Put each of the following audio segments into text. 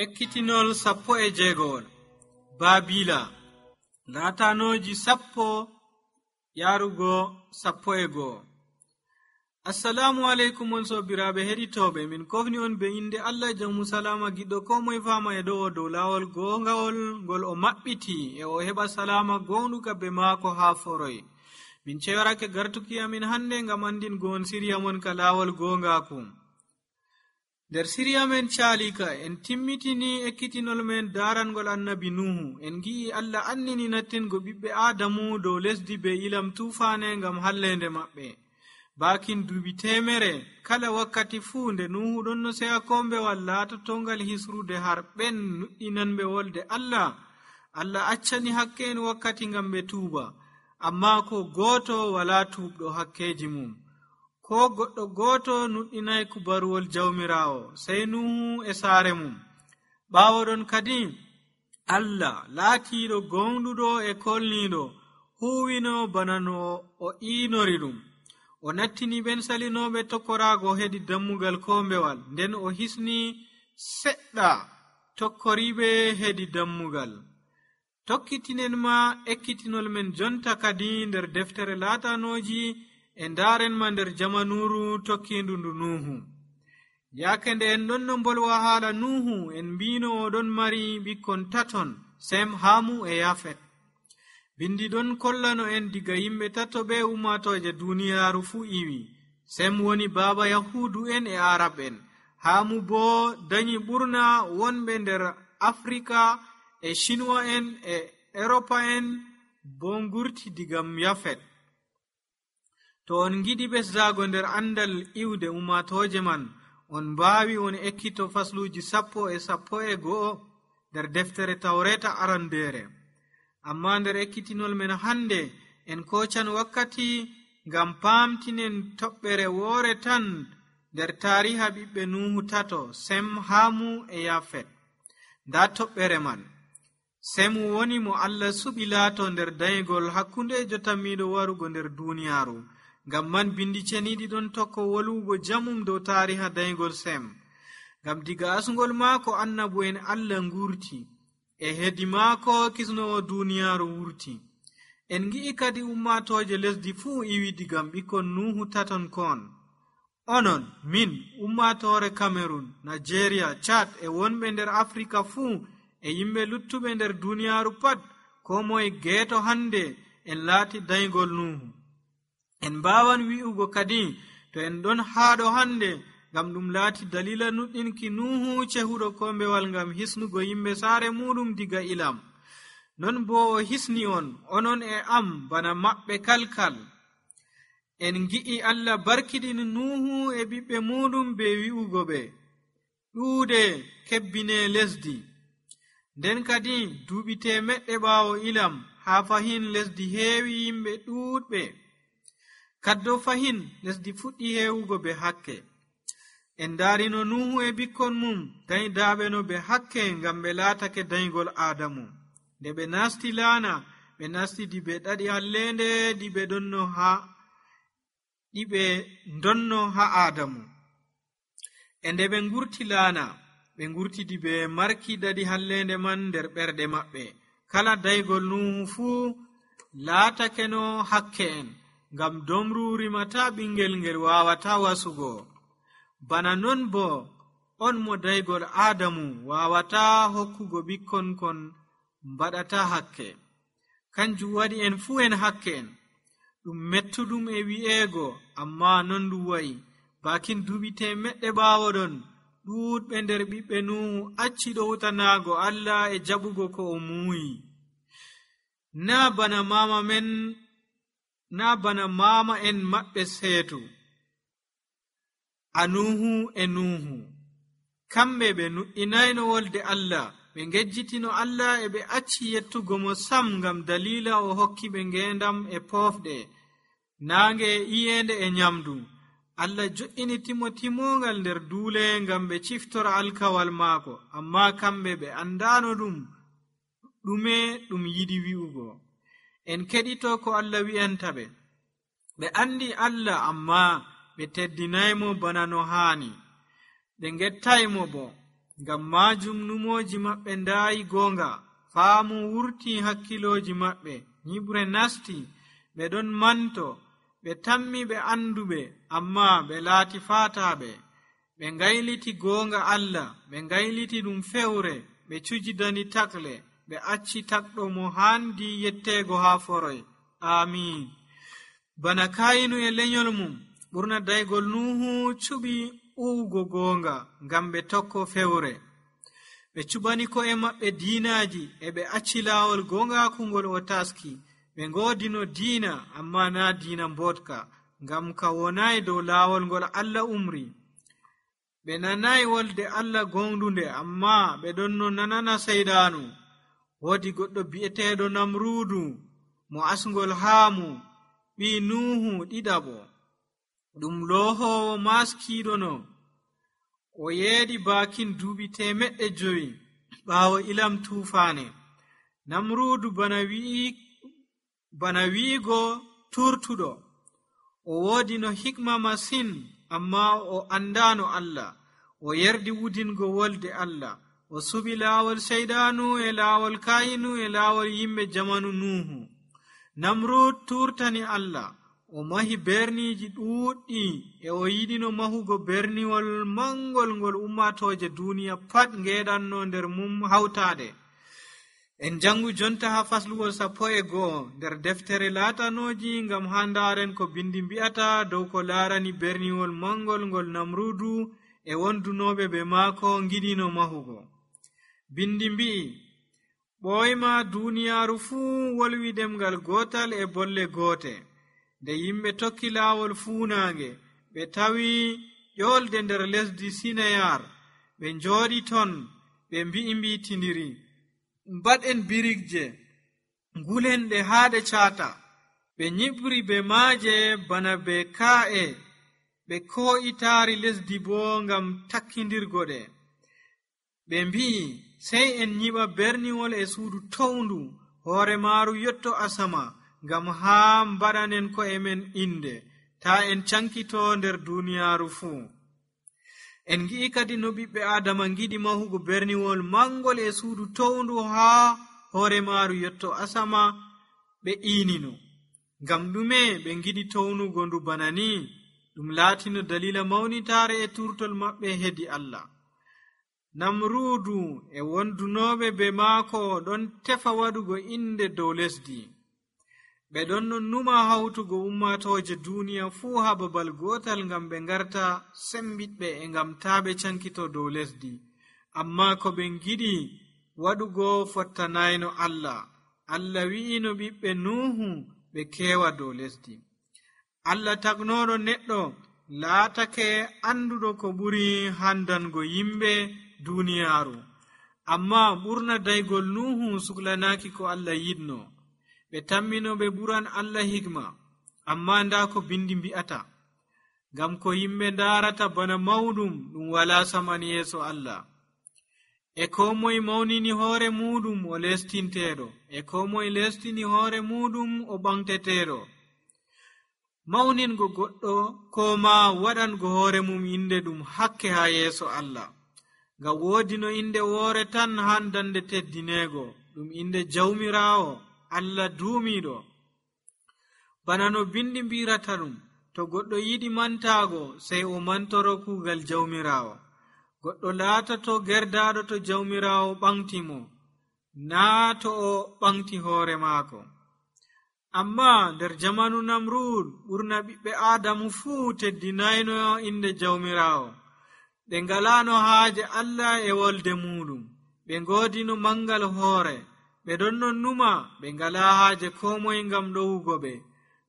Ekkitinol 16 Baabila laatanoji 10 yarugo 11. Assalamu alaikum on sobiraɓe heɗitoɓe, min kofni on be inde Allah jamu salama giɗɗo ko moye fama e ɗo dow lawol gongawol ngol o maɓɓiti e o heɓa salama gonɗuka be maako ha foroy. Min cewarake gartuki amin hande ngam andin gon siriya mon ka lawol gongaku. Der siriya men calika en timmitini ekkitinol men darangol annabi Nuhu. En gi'i Allah annini nattingo ɓiɓɓe Adamu dow lesdi be ilam tufane ngam hallende maɓɓe. Bakin duuɓi 100 kala wakkati fuu nde Nuhu ɗon no seya kombewal latotongal hisrude har ɓen nuɗɗinanɓe wolde Allah accani hakke en wakkati ngam ɓe tuuba, amma ko goto wala tuubɗo hakkeji mum. Ko goɗɗo goto nuɗɗinai kubaruwol jawmirawo sey Nuhu e saare mum. Ɓawo ɗon kadi Allah laatiɗo gonɗuɗo e kolniɗo huwino bana no o inori ɗum. O nattini ɓen salinoɓe tokkorago hedi dammugal kombewal, nden o hisni seɗɗa tokkoriɓe hedi dammugal. Tokkitinen ma ekkitinol men jonta kadi nder deftere laatanoji e ndarenma nder jamanuru tokkindu ndu Nuhu. Yake nde en ɗon no bolwa haala Nuhu, en mbino oɗon mari ɓikkon 3, Sem, Hamu e Yafet. Bindi ɗon kollano en diga yimɓe 3 be ummatoje duniyaru fu iwi. Sem woni baba Yahudu en e Arab en. Hamu bo dañi ɓurna wonɓe nder Afrika e Shinwa en e Europa en bo ngurti digam Yafet. To on giɗi ɓesdago nder andal iwde ummatoje man, on mbawi on ekkito fasluji 11 nder deftere Tawreta arandere. Amma nder ekkitinol men hande en kocan wakkati ngam pamtinen toɓɓere woore tan nder tariha ɓiɓɓe Nuhu 3, Sem, Hamu e Yafet. Nda toɓɓere man. Sem woni mo Allah suɓi laato nder dayigol hakkunde jotammiɗo warugo nder duniyaru. Ngam man bindi ceniɗi ɗon tokko wolwugo jamum dow tariha dayigol Sem. Ngam diga asgol maako annabu en Allah ngurti, e hedi maako kisnowo duniyaru wurti. En gi'i kadi ummatoje lesdi fuu iwi digam ɓikkon Nuhu 3 kon. Onon, min, ummatore Cameroon, Nigeria, Chad e wonɓe nder Afrika fuu e yimɓe luttuɓe nder duniyaru pat, ko moye geeto hande en laati dayigol Nuhu. En mbawan wi'ugo kadi to en ɗon haɗo hande ngam ɗum laati dalila nuɗɗinki Nuhu cehuɗo kombewal ngam hisnugo yimɓe saare muɗum diga ilam. Non bo o hisni onon e am bana maɓɓe kalkal. En gi'i Allah barkiɗini Nuhu e ɓiɓɓe muɗum be wi'ugo ɓe ɗuuɗe kebbine lesdi. Nden kadi duuɓi 100 ɓawo ilam ha fahin lesdi heewi yimɓe ɗuuɗɓe. Kaddo fahin lesdi fuɗɗi heewugo be hakke. En darino Nuhu e ɓikkon mum dañidaɓe no be hakke ngam ɓe laatake dayigol Adamu. Nde ɓe nasti laana, ɓe nasti dibe ɗaɗi hallende ɗiɓe donno ha Adamu. E nde ɓe ngurti laana, ɓe ngurti dibe marki ɗaɗi hallende man nder ɓerɗe maɓɓe. Kala dayigol Nuhu fuu laatake no hakke en, ngam domru rimata ɓingel ngel wawata wasugo. Bana non bo on mo dayigol Adamu wawata hokkugo ɓikkon kon mbaɗata hakke. Kanjum waɗi en fuu en hakke en. Ɗum mettuɗum e wi'ego, amma non ɗum wa'i. Bakin duuɓi 100 ɓawo ɗon, ɗuuɗɓe nder ɓiɓɓe Nuhu acci ɗowtanago Allah e jaɓugo ko o muuyi. Na bana mama en maɓɓe seetu, Nuhu e Nuhu. Kamɓe ɓe nuɗɗinayno wolde Allah, ɓe ngejjitino Allah e ɓe acci yettugo mo sam ngam dalila o hokki ɓe ngendam e pofɗe, naange e iyende e nyamdu. Allah jo'ini timogal nder duule ngam ɓe ciftora alkawal maako, amma kamɓe ɓe andano ɗume ɗum yiɗi wi'ugo. En keɗito ko Allah wi'anta ɓe. Ɓe andi Allah, amma ɓe teddinaymo bana no haani. Ɓe gettaymo bo. ngam maajum numooji maɓɓe ndaayi goonga, faamu wurti hakkilooji maɓɓe, nyiɓre nasti, ɓe ɗon manto, ɓe tammi ɓe anduɓe, ammaa ɓe laati faataaɓe. ɓe ngayliti goonga Allah, ɓe ngayliti ɗum fewre, ɓe cujidani takle, ɓe acci takɗo mo haandi yetteego haa foroy. Amiin. Bana Kayinu e lenyol mum, ɓurna daygol Nuhu cuɓi uwugo goonga ngam ɓe tokko fewre. ɓe cuɓani ko'e maɓɓe diinaaji e ɓe acci laawol goongakungol o taski. ɓe ngoodino diina, ammaa naa diina mbotka, ngam ka wonayi dow laawol ngol Allah umri. ɓe nanayi wolde Allah gongdunde, ammaa ɓe ɗon no nanana seydaanu. woodi goɗɗo bi'eteeɗo Namruudu, mo asngol Haamu, ɓii Nuhu ɗiɗaɓo, ɗum loohoowo maskiiɗono. o yeeɗi baakin duuɓi 500 ɓaawo ilam tuufaane. Namruudu bana wi'igo turtuɗo. o woodi no hikma masin, ammaa o andaano Allah. o yerdi wudingo wolde Allah. o suɓi laawol seydaanu e laawol Kayinu e laawol yimɓe jamanu Nuhu. Namrud turtani Allah. o mahi berniiji ɗuuɗɗi e o yiɗino mahugo berniwol mangol ngol ummatooje duniya pat ngeeɗanno nder mum hawtaade. en jangu jonta ha faslugol 11 nder deftere laatanooji, ngam ha ndaaren ko bindi mbi'ata dow ko laarani berniwol mangol ngol Namrudu e wondunooɓe ɓe maako ngiɗino mahugo. bindi mbi'i, ɓoyma duniyaaru fuu wolwi ɗemgal gootal e bolle goote. nde yimɓe tokki laawol fuunaange, ɓe tawi ƴoolde nder lesdi Sinayar. ɓe njooɗi ton, ɓe mbi'itindiri, mbaɗen birigje, ngulen ɗe haa ɗe caata. ɓe nyiɓri be maaje bana be kaa'e, ɓe koo'itaari lesdi boo ngam takkindirgo ɗe. ɓe mbi'i, sey en nyiɓa berniwol e suudu towndu, hoore maaru yotto asama, ngam haa mbaɗanen ko'e men inde, taa en cankitoo nder duuniyaaru fuu. en ngi'i kadi no ɓiɓɓe Aadama ngiɗi mahugo berniwol mangol e suudu towndu haa hoore maaru yotto asama. ɓe iinino. ngam ɗume ɓe ngiɗi townugo ndu bana ni? ɗum laatino dalila mawnitaare e turtol maɓɓe hedi Allah. Namruudu e wondunooɓe be maako ɗon tefa waɗugo inde dow lesdi. ɓe ɗon no numa hawtugo ummatooje duniya fuu ha babal gootal, ngam ɓe ngarta sembiɗɓe e ngam taa ɓe cankito dow lesdi. amma ko ɓe ngiɗi waɗugo fottanayno Allah. Allah wi'ino ɓiɓɓe Nuhu ɓe keewa dow lesdi. Allah tagnooɗo neɗɗo laatake anduɗo ko ɓuri handango yimɓe duniyaaru. amma ɓurna daygol Nuhu suklanaaki ko Allah yiɗno. ɓe tammino ɓe ɓuran Allah hikma, amma nda ko bindi mbi'ata. ngam ko yimɓe ndaarata bana mawɗum ɗum wala saman yeeso Allah. e ko moye mawnini hoore muɗum o lestinteeɗo, e ko moye lestini hoore muɗum o ɓamteteeɗo. mawningo goɗɗo ko ma waɗango hoore mum inde ɗum hakke ha yeeso Allah. ngam woodi no inde woore tan handande teddineego, ɗum inde jawmiraawo, Allah duumiiɗo. bana no bindi mbirata ɗum, to goɗɗo yiɗi mantaago sey o mantoro kuugal jawmiraawo. goɗɗo laatato gerdaaɗo to jawmiraawo ɓamti mo, naa to o ɓamti hoore maako. amma nder jamanu Namrud, ɓurna ɓiɓɓe Aadamu fuu teddinayno inde jawmiraawo. ɓe ngalaano haaje Allah e wolde muɗum. ɓe ngoodino mangal hoore. ɓe ɗon non numa, ɓe ngalaa haaje ko moye ngam ɗowugo ɓe.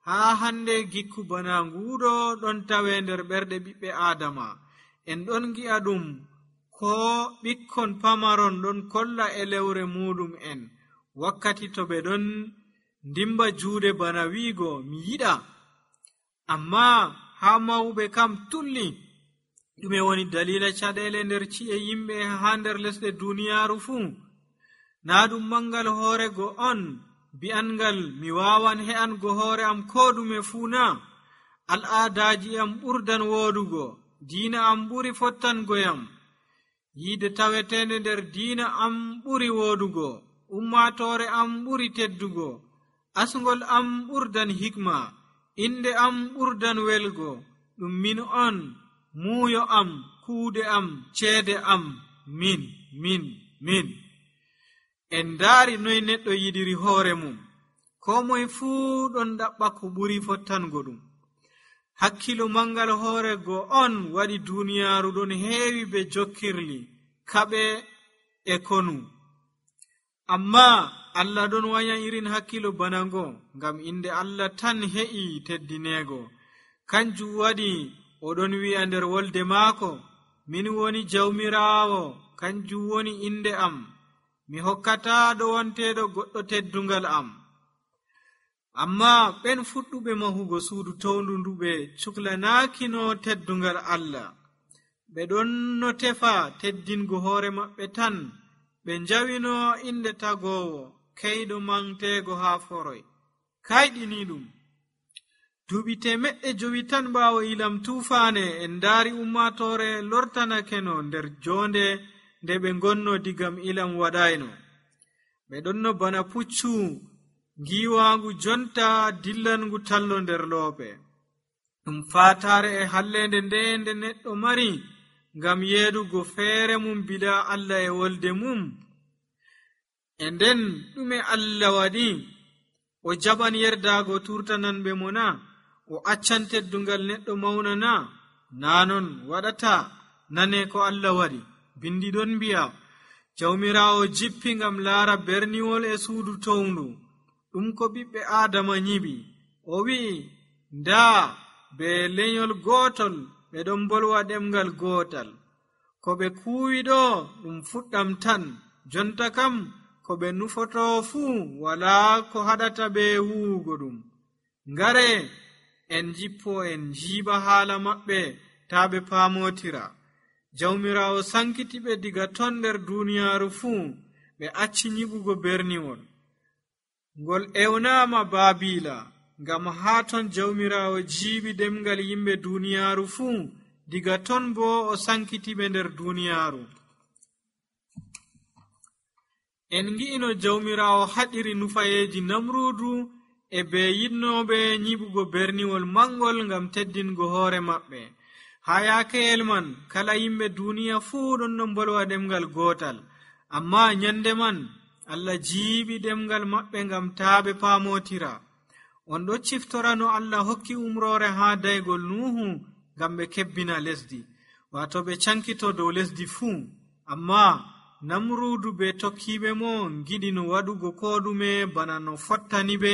haa hande gikku bana nguuɗo ɗon tawe nder ɓerɗe ɓiɓɓe Aadama. en ɗon gi'a ɗum ko ɓikkon pamaron ɗon kolla elewre muɗum en wakkati to ɓe ɗon ndimba juuɗe bana wiigo mi yiɗa. amma haa mawɓe kam tulli. ɗume woni dalila caɗeele nder ci'e yimɓe haa nder lesɗe duniyaaru fuu? naa ɗum mangal hoorego on, bi'angal mi waawan he'ango hoore am ko ɗume fuu na? al'aadaaji am ɓurdan woodugo, diina am ɓuri fottangoyam. yiide tawetende nder diina am ɓuri woodugo, ummaatoore am ɓuri teddugo, asngol am ɓurdan hikma, inde am ɓurdan welgo, ɗum min on, muuyo am, kuuɗe am, ceede am, min. En ndaari noy neɗɗo yiɗiri hoore mum, koo moye fuu ɗon ɗaɓɓa ko ɓuri fottango ɗum. Hakkilo mangal hoorego on waɗi duuniyaaru ɗon heewi be jokkirli, kaɓe e konu. Ammaa Allah ɗon wanya irin hakkilo bana ngo, ngam inde Allah tan he'i teddineego. Kanjum waɗi oɗon wi'a nder wolde maako, min woni jawmiraawo, kanjum woni inde am, mi hokkataa ɗowanteeɗo goɗɗo teddungal am. Ammaa ɓen fuɗɗuɓe mahugo suudu towndu ndu ɓe cuklanaakino teddungal Allah, ɓe ɗon no tefa teddingo hoore maɓɓe tan, ɓe njawino inde tagoowo, keyɗo manteego haa foroy. Kayɗini ɗum. Duuɓi 900 tan ɓaawo ilam tuufaane, en ndaari ummaatoore lortanakeno nder joonde nde ɓe ngonno digam ilam waɗayno. Ɓe ɗonno bana puccu ngiiwaangu jonta dillangu tallo nder loope. Ɗum faataare e halleende nde neɗɗo mari ngam yeedugo feere mum bila Allah e wolde mum. E nden ɗume Allah waɗi? O jaɓan yerdaago turtananɓe mo na? O accan teddungal neɗɗo mawna na? Naa non waɗata. Nane ko Allah waɗi. Bindi ɗon mbi'a, jawmiraawo jippi ngam laara berniwol e suudu towndu. Ɗum ko ɓiɓɓe Aadama nyiɓi. O wi'i, ndaa be lenyol gootol ɓe ɗon bolwa ɗemgal gootal. Ko ɓe kuuwi ɗo ɗum fuɗɗam tan, jonta kam ko ɓe nufoto fuu walaa ko haɗata ɓe wuugo ɗum. Ngare en jippo en jiiɓa haala maɓɓe taa ɓe paamotira. Jawmiraawo sankiti ɓe diga ton nder duuniyaaru fuu, ɓe acci nyiɓugo berniwol. Ngol ewnaama Baabiila, ngam haa ton jawmiraawo jiiɓi ɗemgal yimɓe duuniyaaru fuu, diga ton bo o sankiti ɓe nder duuniyaaru. En ngi'ino jawmiraawo haɗiri nufayeeji Namruudu e ɓe yiɗnooɓe nyiɓugo berniwol mangol ngam teddingo hoore maɓɓe. Haa yaakeyel man kala yimɓe duuniya fuu ɗon no mbolwa ɗemgal gootal, ammaa nyande man Allah jiiɓi ɗemgal maɓɓe ngam taa ɓe paamotira. On ɗo ciftora no Allah hokki umroore haa daygol Nuhu ngam ɓe kebbina lesdi, waato ɓe cankito dow lesdi fuu. Ammaa Namruudu be tokkiiɓe mo ngiɗi no waɗugo koo ɗume bana no fottani ɓe,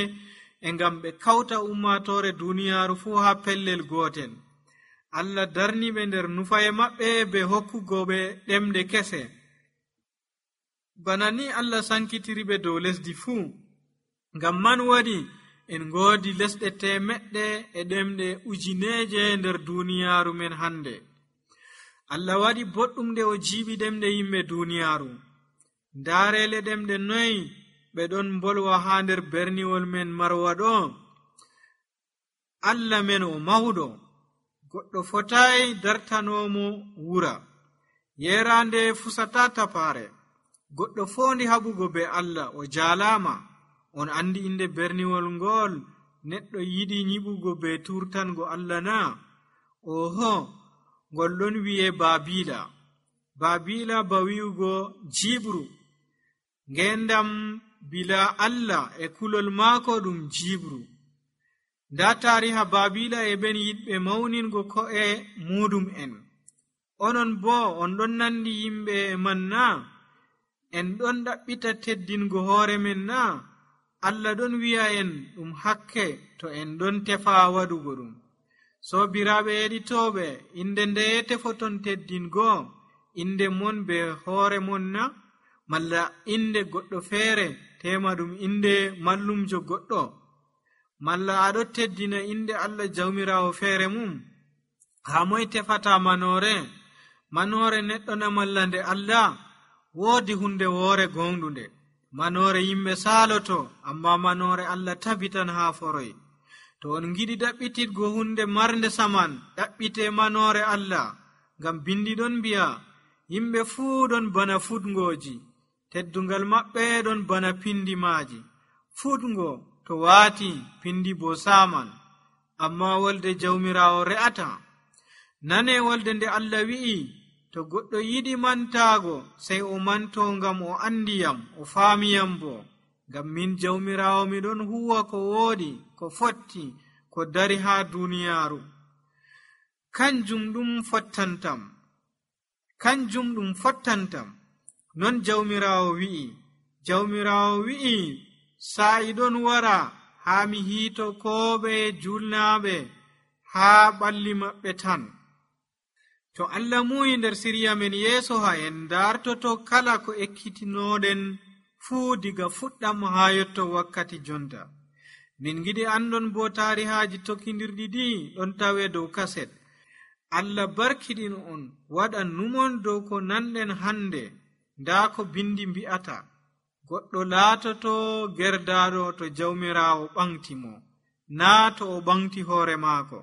e ngam ɓe kawta ummaatoore duuniyaaru fuu haa pellel gootel. Allah darni ɓe nder nufaye maɓɓe be hokkugo ɓe ɗemɗe kese. Bana ni Allah sankitiri ɓe dow lesdi fuu. Ngam man waɗi en ngoodi lesɗe 100 e ɗemɗe 1000 nder duuniyaaru men hande. Allah waɗi boɗɗum nde o jiiɓi ɗemɗe yimɓe duuniyaaru. Ndaareele ɗemɗe 9 ɓe ɗon mbolwa haa nder berniwol men Marwa ɗo. Allah men o mawɗo, goɗɗo fotayi dartanoomo wura. Yeeraande fusata tapaare. Goɗɗo foondi haɓugo be Allah o jaalaama. On andi inde berniwol ngol neɗɗo yiɗi nyiɓugo be turtango Allah na? Oho, ngol ɗon wi'e Baabiila. Baabiila ba wi'ugo jiibru. Ngendam bila Allah e kulol maako ɗum jiibru. Nda taariha Baabiila e ɓen yiɗɓe mawningo ko'e muɗum en. Onon bo on ɗon nandi yimɓe man na? En ɗon ɗaɓɓita teddingo hoore men na? Allah ɗon wi'a en ɗum hakke to en ɗon tefa waɗugo ɗum. Soobiraaɓe heɗitooɓe, inde ndeye tefoton teddingo? Inde mon be hoore mon na? Malla inde goɗɗo feere tema ɗum inde mallumjo goɗɗo? Malla aɗo teddina inde Allah jawmiraawo feere mum? Haa moy tefata manoore? Manoore neɗɗo na malla nde Allah? Woodi hunde woore gonɗunde. Manoore yimɓe saaloto, amma manoore Allah tabitan haa foroy. To on ngiɗi ɗaɓɓititgo hunde marnde saman, ɗaɓɓite manoore Allah, ngam bindi ɗon mbi'a, yimɓe fuu ɗon bana fuɗngooji, teddungal maɓɓe ɗon bana pindi maaji. Fuɗngo to waati, pindi bo saaman, amma wolde jawmiraawo re'ata. Nane wolde nde Allah wi'i, to goɗɗo yiɗi mantaago, sey o manto ngam o andiyam, o faamiyam bo. Ngam min jawmiraawo miɗon huwa ko wooɗi, ko fotti, ko dari haa duuniyaaru. Kanjum ɗum fottantam. Non jawmiraawo wi'i. Jawmiraawo wi'i, sa'i ɗon wara haa mi hiito kooɓe julnaaɓe haa ɓalli maɓɓe tan. To Allah muuyi nder sirya men yeeso ha en dartoto kala ko ekkitinooɗen fuu diga fuɗɗam haa yotto wakkati jonta. Min giɗi andon bo taarihaaji tokkindirɗi ɗi ɗon tawe dow kaset. Allah barkiɗin on, waɗan numon dow ko nanɗen hande. Ndaa ko bindi mbi'ata, goɗɗo laatoto gerdaaɗo to jawmiraawo ɓaŋti mo, naa to o ɓaŋti hoore maako.